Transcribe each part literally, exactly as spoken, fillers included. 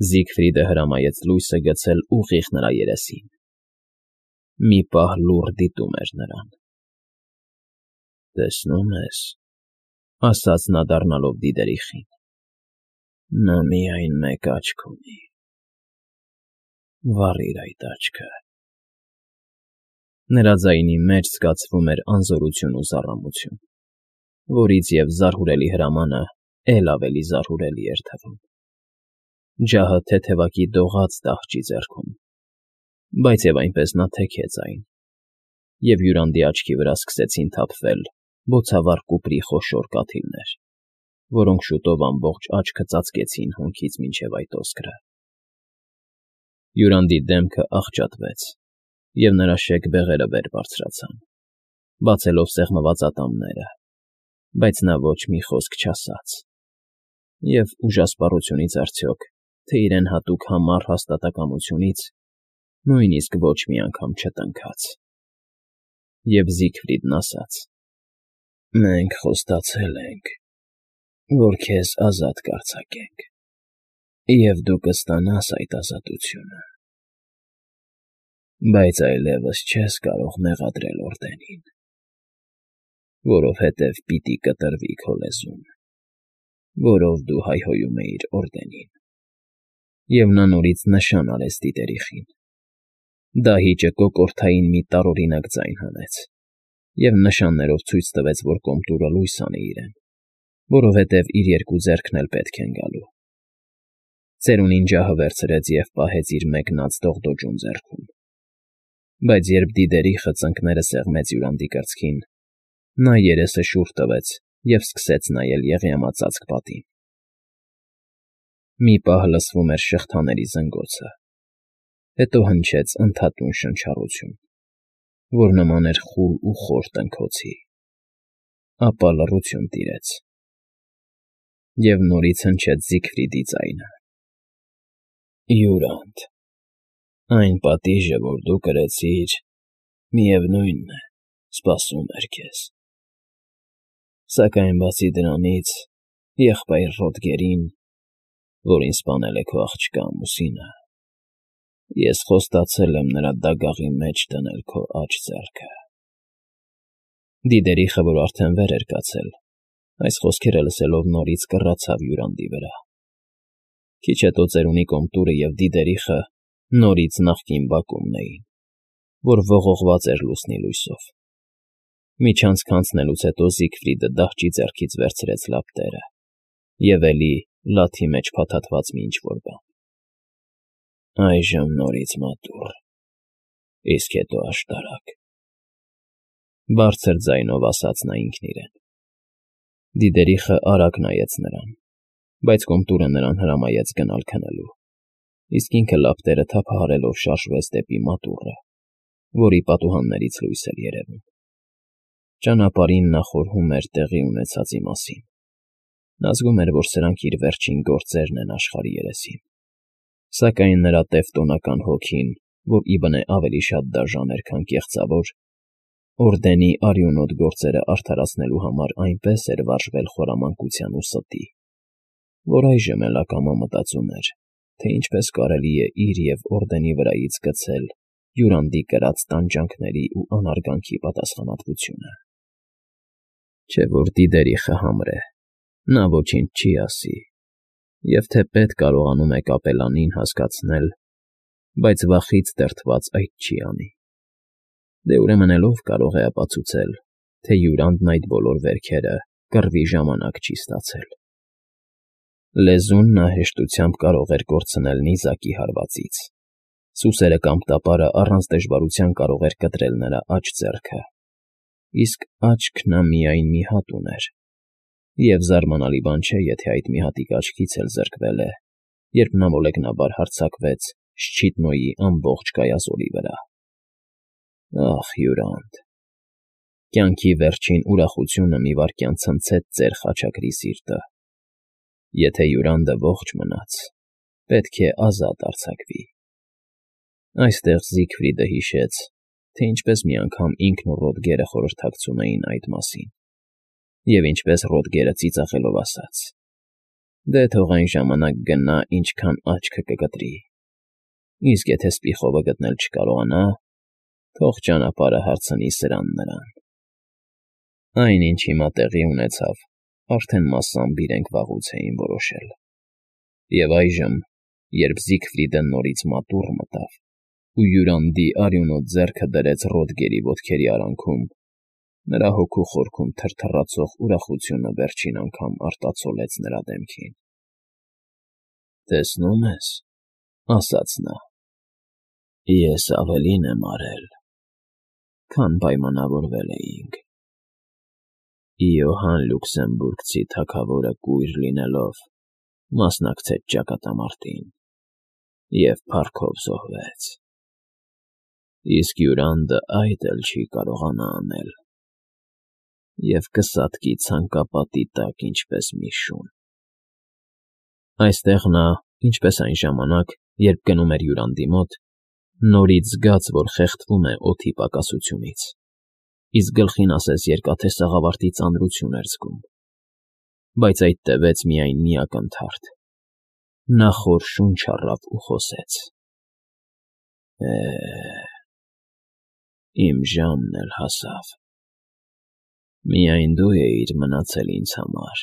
Զիգֆրիդը հրամայեց լույսը գցել ուղիղ նրա երեսին։ Մի պահ լուռ դիտում էր նրան։ ֊ Տեսնում ես,֊ ասաց նա, դառնալով դիդերիխին,֊ նա միայն մեկ աչք ունի, վառիր այդ աչքը… Նրա ձայնի մեջ զգացվում էր անզորություն ու զառամություն, որից և զարհուրելի հրամանը էլ ավելի զարհուրելի էր թվում։ Ջահը թեթևակի դողաց դահճի ձեռքում, բայց և այնպես նա թեքեց այն, և Յուրանդի աչքի վրա սկսեցին թափվել բոցավառ կուպրի խոշոր կաթիլներ, որոնք շուտով ամբողջ աչքը ծածկեցին հոնքից մինչև այդոսկրը։ Յուրանդի դեմքը աղճատվեց, և նրա շեկ բեղերը վեր բարձրացան, բացելով սեղմված ատամները, բայց նա ոչ մի խոսք չասաց, և ուժասպառությունից արդյոք, թե իրեն հատուկ համառ հաստատակամությունից, նույնիսկ ոչ մի անգամ չտնքաց։ Եվ Զիգֆրիդն ասաց. «Մենք խոստացել ենք, որ քեզ ազատ կարձակենք, և դու կստանաս այդ ազատությունը, բայց այլևս չես կարող մեղադրել Օրդենին, որովհետև պիտի կտրվի քո լեզուն, որով դու հայհոյում էիր Օրդենին»։ Եվ նա նորից նշան արեց դիդերիխին։ Դահիճը կոկորդային մի տարօրինակ ձայն հանեց և նշաններով ցույց տվեց, որ կոմտուրը լույս անի իրեն, որովհետև իր երկու ձեռքն էլ պետք են գալու։ Ծերունին ջահը վերցրեց և պահեց իր մեկնած դողդոջուն ձեռքում, բայց երբ դիդերիխը ծնկները սեղմեց Յուրանդի կրծքին, նա երեսը շուռ տվեց և սկսեց նայել եղյամածածկ պատին։ Մի պահ լսվում էր շղթաների զնգոցը, հետո հնչեց ընդհատուն շնչառություն, որ նման էր խուլ ու խոր տնքոցի, ապա լռություն տիրեց, և նորից հնչեց Զիգֆրիդի ձայնը. «Յուրա՛նդ, այն պատիժը, որ դու կրեցիր, միևնույն է, սպասում էր քեզ, սակայն բացի դրանից, եղբայր Ռոդգերին, որին սպանել է քո աղջկա ամուսինը, ես խոստացել եմ նրա դագաղի մեջ դնել քո աջ ձեռքը»։ Դիդերիխը, որ արդեն վեր էր կացել, այս խոսքերը լսելով նորից կռացավ Յուրանդի վրա։ Քիչ հետո ծերունի կոմտուրը և դիդերիխը նորից նախկին բակումն էին, որ ողողված էր լուսնի լույսով։ Միջանցք անցնելուց հետո Զիգֆրիդը դահճի ձեռքից վերցրեց լապտերը և էլի լաթի մեջ փաթաթված մի ինչ֊որ բան։ «Այժմ նորից մատուռ, իսկ հետո աշտարակ,֊ բարձր ձայնով ասաց նա ինքն իրեն։ Դիդերիխը արագ նայեց նրան, բայց կոմտուրը նրան հրամայեց գնալ քնելու, իսկ ինքը լապտերը թափահարելով շարժվեց դեպի մատուռը, որի պատուհաններից լույս էր երևում։ Ճանապարհին նա խորհում էր տեղի ունեցածի մասին։ Նա զգում էր, որ սրանք իր վերջին գործերն են աշխարհի երեսին, սակայն նրա տևտոնական հոգին, որ իբնե ավելի շատ դաժան էր, քան կեղծավոր, Օրդենի արյունոտ գործերը արդարացնելու համար այնպես էր վարժվել խորամանկության ու ստի, որ այժմ էլ ակամա մտածում էր, թե ինչպես կարելի է իր և Օրդենի վրայից գցել Յուրանդի կրած տանջանքների ու անարգանքի պատասխանատվությունը։ Չէ՞ որ դիդերիխը համր է, նա ոչինչ չի ասի, և թե պետք կարողանում է կապելանին հասկացնել, բայց վախից դրդված այդ չի անի։ Դե ուրեմն էլ ո՞վ կարող է ապացուցել, թե Յուրանդն այդ բոլոր վերքերը կռվի ժամանակ չի ստացել։ Լեզուն նա հեշտությամբ կարող էր կորցնել նիզակի հարվածից, սուսերը կամ տապարը առանց դժվարության կարող էր կտրել նրա աջ ձեռքը, իսկ աչք նա միայն մի հատ ուներ, և զարմանալի բան չէ, եթե այդ մի հատիկ աչքից էլ զրկվել է, երբ նա մոլեգնաբար հարձակվեց Շչիտնոյի ամբողջ կայազորի վրա։ Ախ, Յուրա՛նդ… Կյանքի վերջին ուրախությունը մի վայրկյան ցնցեց ծեր խաչակրի սիրտը։ Եթե Յուրանդը ողջ մնաց, պետք է ազատ արձակվի։ Այստեղ Զիգֆրիդը հիշեց, թե ինչպես մի անգամ ինքն ու Ռոդգերը խորհրդակցում էին այդ մասին, և ինչպես Ռոդգերը ծիծաղելով ասաց. Դե թող այն ժամանակ գնա, ինչքան աչքը կկտրի, իսկ եթե սպիխովը գտնել չկարողանա, թող ճանապարհը հարցնի սրան նրան։ Այն, ինչ հիմա տեղի ունեցավ, արդեն մասամբ իրենք վաղուց էին որոշել։ Եվ այժմ, երբ Զիգֆրիդը նորից մատուռ մտավ ու յուրանդի արյունոտ ձեռքը դրեց Ռոդգերի ոտքերի արանքում, նրա հոգու խորքում թրթռացող ուրախությունը վերջին անգամ արտացոլեց նրա դեմքին։ «Տեսնում ես,֊ ասաց նա,֊ ես ավելին եմ արել, քան պայմանավորվել էինք։ Իոհան Լյուքսեմբուրգցի թագավորը կույր լինելով, մասնակցեց ճակատամարտին և փառքով զոհվեց, իսկ Յուրանդը այդ էլ չի կարողանա անել և կսատկի ցանկապատի տակ, ինչպես մի շուն»։ Այստեղ նա, ինչպես այն ժամանակ, երբ գնում էր Յուրանդի մոտ, նորից զգաց, որ խեղդվում է օդի պակասությունից, իսկ գլխին ասես երկաթե սաղավարտի ծանրություն էր զգում, բայց այդ տևեց միայն մի ակնթարթ. նա խոր շունչ առավ ու խոսեց. «Է՜, իմ ժամն էլ հասավ, միայն դու էիր մնացել ինձ համար,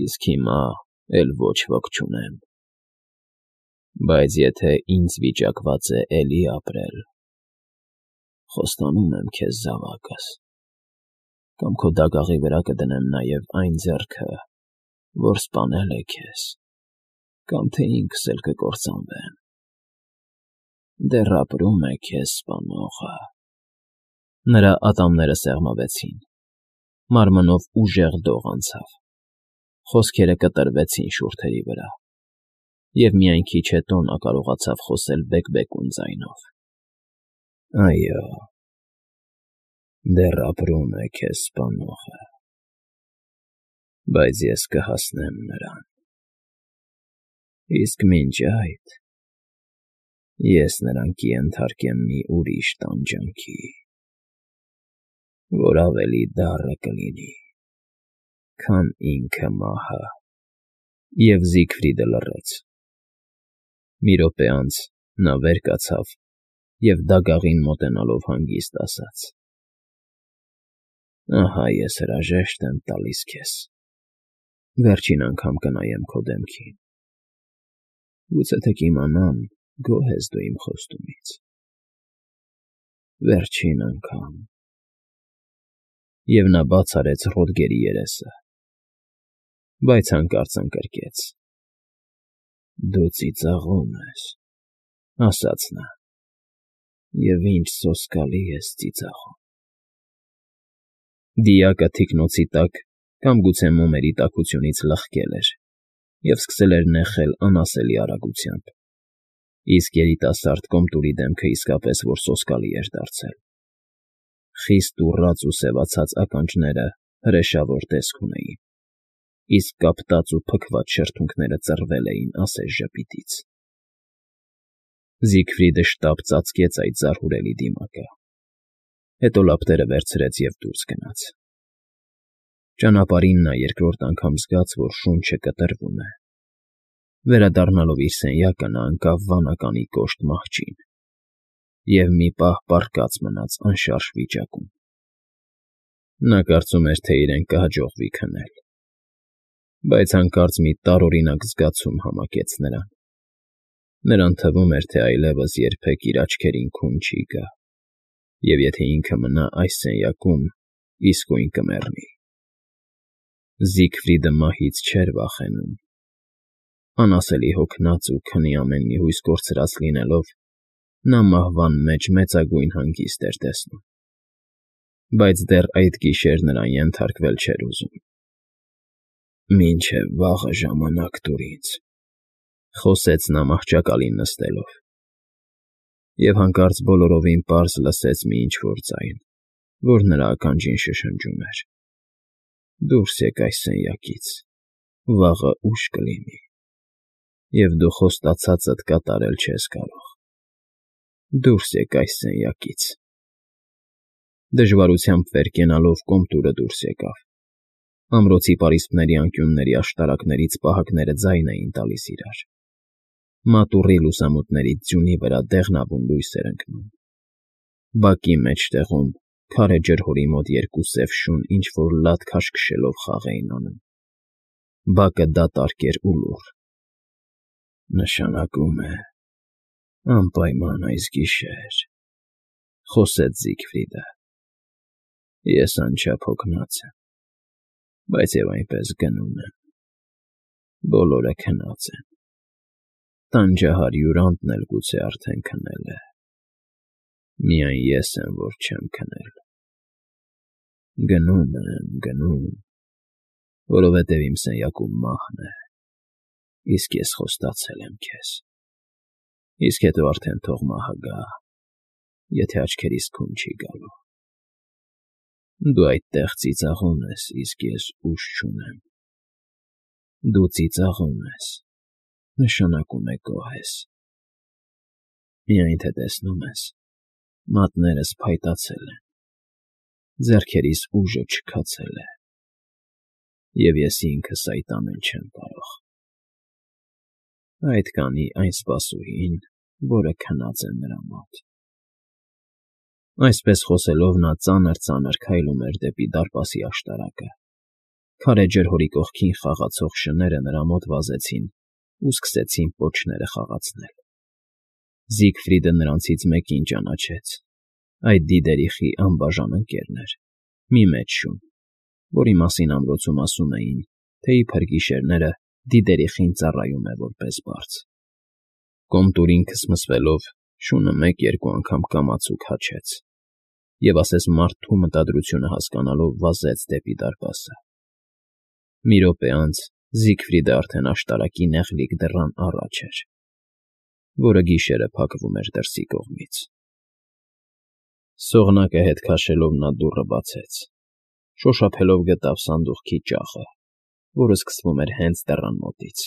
իսկ հիմա էլ ոչ ոք չունեմ, բայց եթե ինձ վիճակված է էլի ապրել, խոստանում եմ քեզ զավակս, կամ քո դագաղի վրա կդնեմ նաև այն ձեռքը, որ սպանել է քեզ, կամ թե ինքս էլ կկործանվեմ, դեռ ապրում է քեզ սպանողը»։ Նրա ատամները սեղմվեցին, մարմնով ուժեղ դող անցավ, խոսքերը կտրվեցին շուրթերի վրա, և միայն քիչ հետո նա կարողացավ խոսել բեկբեկուն ձայնով. «Այո, դեռ ապրում է քեզ սպանողը, բայց ես կհասնեմ նրան, իսկ մինչ այդ ես նրան կենթարկեմ մի ուրիշ տանջանքի, որ ավելի դառը կլինի, քան ինքը մահը»։ Եվ Զիգֆրիդը լռեց։ Մի րոպե անց նա վեր կացավ և դագաղին մոտենալով հանգիստ ասաց. «Ահա ես հրաժեշտ եմ տալիս քեզ, վերջին անգամ կնայեմ քո դեմքին, գուցե թե կիմանամ՝ գոհ ես դու իմ խոստումից, վերջին անգամ»։ Եվ նա բաց արեց Ռոդգերի երեսը, բայց հանկարծ ընկրկեց. «Դու ծիծաղում ես,֊ ասաց նա,֊ և ինչ սոսկալի ես ծիծաղում»։ Դիակը թիկնոցի տակ կամ գուցե մոմերի տաքությունից լղկել էր և սկսել էր նեխել անասելի արագությամբ, իսկ երիտասարդ Կոմտուրի դեմքը իսկապես որ սոսկալի էր դարձել. խիստ ուռած ու սևացած ականջները հրեշավոր տեսք ունեին, իսկ կապտած ու փքված շրթունքները ծռվել էին ասես ժպիտից։ Զիգֆրիդը շտապ ծածկեց այդ զարհուրելի դիմակը, հետո լապտերը վերցրեց և դուրս գնաց։ Ճանապարհին նա երկրորդ անգամ զգաց, որ շունչը կտրվում է։ Վերադառնալով իր սենյակը նա ընկավ վանականի կոշտ մահճին և մի պահ պառկած մնաց անշարժ վիճակում։ Նա կարծում էր, թե իրեն կհաջողվի քնել, բայց հանկարծ մի տարօրինակ զգացում համակեց նրան։ Նրան թվում էր, թե այլևս երբեք իր աչքերին քուն չի գա, և եթե ինքը մնա այս սենյակում, իսկույն կմեռնի։ Զիգֆրիդը մահից չէր վախենում։ Անասելի հոգնած ու քնի ամեն մի հույս կորցրած լինելով, նա մահվան մեջ մեծագույն հանգիստ էր տեսնում, բայց դեռ այդ գիշեր նրան ենթարկվել չէր ուզում։ «Մինչև վաղը ժամանակ տուր ինձ,֊ խոսեց նա մահճակալին նստելով, և հանկարծ բոլորովին պարզ լսեց մի ինչ֊որ ձայն, որ նրա ականջին շշնջում էր. «Դուրս եկ այս սենյակից, վաղը ուշ կլինի, և դու խոստացածդ կատարել չես կարող։ Դուրս եկ այս սենյակից»։ Դժվարությամբ վեր կենալով Կոմտուրը դուրս եկավ, Ամրոցի պարիսպների անկյունների աշտարակներից պահակները ձայն էին տալիս իրար։ Մատուռի լուսամուտներից ձյունի վրա դեղնավուն լույս էր ընկնում։ Բակի մեջտեղում, քարե ջրհորի մոտ երկու սև շուն ինչ֊որ լատ քաշքշելով խաղ էին անում։ Բակը դատարկ էր ու լուռ։ «Նշանակում է անպայման այս գիշեր,֊ խոսեց Զիգֆրիդը։ Ես անչափ հոգնած եմ, բայց և այնպես գնում եմ։ Բոլորը քնած են։ Տանջահար֊հյուրանտն էլ գուցե արդեն քնել է։ Միայն ես եմ, որ չեմ քնել։ Գնում եմ, գնում, որովհետև իմ սենյակում մահն է, իսկ ես խոստացել եմ քեզ։ Իսկ հետո արդեն թող մահը գա, եթե աչքերիս քուն չի գալու։ Դու այդտեղ ծիծաղում ես, իսկ ես ուժ չունեմ։ Դու ծիծաղում ես, նշանակում է գոհ ես։ Միայն թե տեսնում ես, մատներս փայտացել են, ձեռքերիս ուժը չքացել է, և ես ինքս այդ անել չեմ կարող։ Այդ կանի այն սպասուհին, որը քնած է նրա մոտ»։ Այսպես խոսելով նա ծանր֊ծանր քայլում էր դեպի դարպասի աշտարակը։ Քարե ջրհորի կողքին խաղացող շները նրա մոտ վազեցին ու սկսեցին պոչները խաղացնել։ Զիգֆրիդը նրանցից մեկին ճանաչեց։ Այդ դիդերիխի անբաժան ընկերն էր, մի մեծ շուն, որի մասին ամրոցում ասում էին, թե իբր գիշերները դիդերիխին ծառայում է որպես բարձ։ Կոմտուրին քսմսվելով՝ շունը մեկ֊երկու անգամ կամաց ու քաչեց, և ասես մարդու մտադրությունը հասկանալով վազեց դեպի դարպասը։ Մի րոպե անց Զիգֆրիդը արդեն աշտարակի նեղլիկ դռան առաջ էր, որը գիշերը փակվում էր դրսի կողմից։ Սողնակը հետ քաշելով նա դուռը բացեց, շոշափելով գտավ սանդուղքի ճախը, որը սկսվում էր հենց դռան մոտից,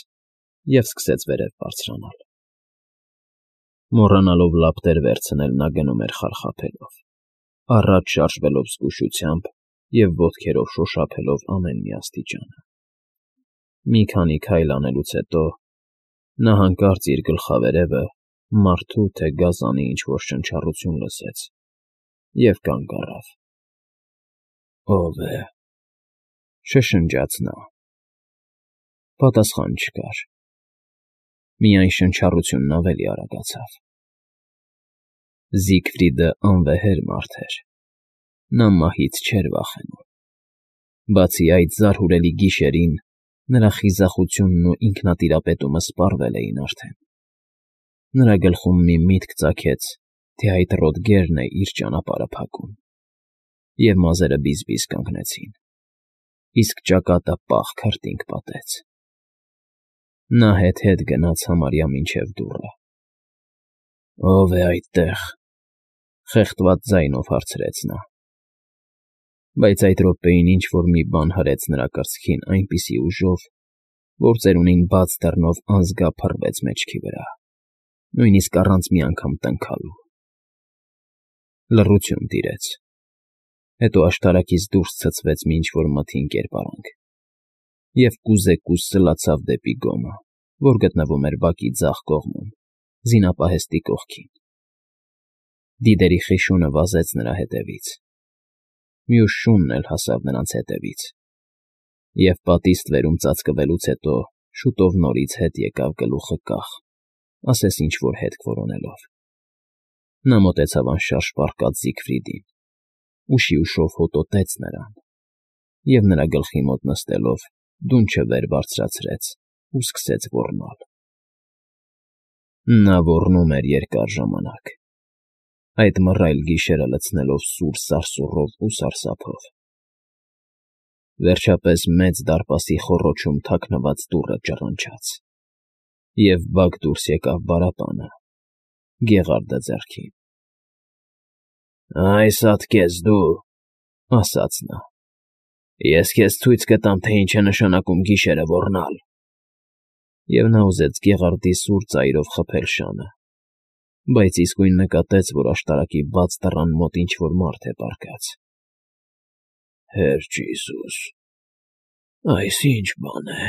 և սկսեց վերև բարձրանալ։ Մոռանալով լապտեր վերցնել՝ նա գնում էր խարխափելով, առաջ շարժվելով զգուշությամբ և ոտքերով շոշափելով ամեն մի աստիճանը։ Մի քանի քայլ անելուց հետո նա հանկարծ իր գլխավերևը մարդու թե գազանի ինչ֊որ շնչառություն լսեց և կանգ առավ։ «Ո՞վ է,֊ շշնջաց նա։ Պատասխան չկար։ Միայն շնչառությունն ավելի արագացավ։ Զիգֆրիդը անվեհեր մարդ էր։ Նա մահից չէր վախենում։ Բացի այդ, զարհուրելի գիշերին նրա խիզախությունն ու ինքնատիրապետումը սպառվել էին արդեն։ Նրա գլխում մի միտք ծագեց, թե այդ Ռոդգերն է իր ճանապարհը փակում, և մազերը բիզ֊բիզ կանգնեցին, իսկ ճակատը պաղ քրտինք պատեց։ Նա հետ֊հետ գնաց համարյա մինչև դուռը։ «Ո՞վ է այդտեղ,֊ խեղդված ձայնով հարցրեց նա։ Բայց այդ րոպեին ինչ֊որ մի բան հրեց նրա կրծքին այնպիսի ուժով, որ ծերունին բաց դռնով անզգա փռվեց մեջքի վրա, նույնիսկ առանց մի անգամ տնքալու։ Լռություն տիրեց։ Հետո աշտարակից դուրս ցցվեց մի ինչ֊որ մթին կերպարանք և կուզեկուզ սլացավ դեպի գոմը, որ գտնվում էր բակի ձախ կողմում, զինապահեստի կողքին։ Դիդերիխի շունը վազեց նրա հետևից։ Մյուս շունն էլ հասավ նրանց հետևից, և պատի ստվերում ծածկվելուց հետո շուտով նորից հետ եկավ գլուխը կախ, ասես ինչ֊որ հետք որոնելով։ Նա մոտեցավ անշարժ պառկած Զիգֆրիդին, ուշի ուշով հոտոտեց նրան և, նրա գլխի մոտ նստելով, դունչը վեր բարձրացրեց ու սկսեց ոռնալ։ Նա ոռնում էր երկար ժամանակ, այդ մռայլ գիշերը լցնելով սուր սարսուռով ու սարսափով։ Վերջապես մեծ դարպասի խոռոչում թաքնված դուռը ճռնչաց, և բակ դուրս եկավ բարապանը՝ գեղարդը ձեռքին։ «Այս ատկես դու,֊ ասաց նա,֊ ես քեզ ցույց կտամ, թե ինչ է նշանակում գիշերը ոռնալ»։ Եվ նա ուզեց գեղարդի սուր ծայրով խփել շանը, բայց իսկույն նկատեց, որ աշտարակի բաց դռան մոտ ինչ֊որ մարդ է պառկած։ «Հերջ Իիսուս, Այս ի՞նչ բան է…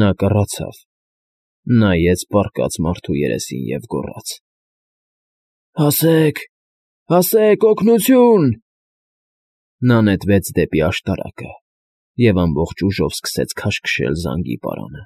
Նա կռացավ, նայեց պառկած մարդու երեսին և գոռաց. «Հասե՜ք… Հասե՜ք… Օգնությո՜ւն»։ Նա նետվեց դեպի աշտարակը և ամբողջ ուժով սկսեց քաշքշել զանգի պարանը։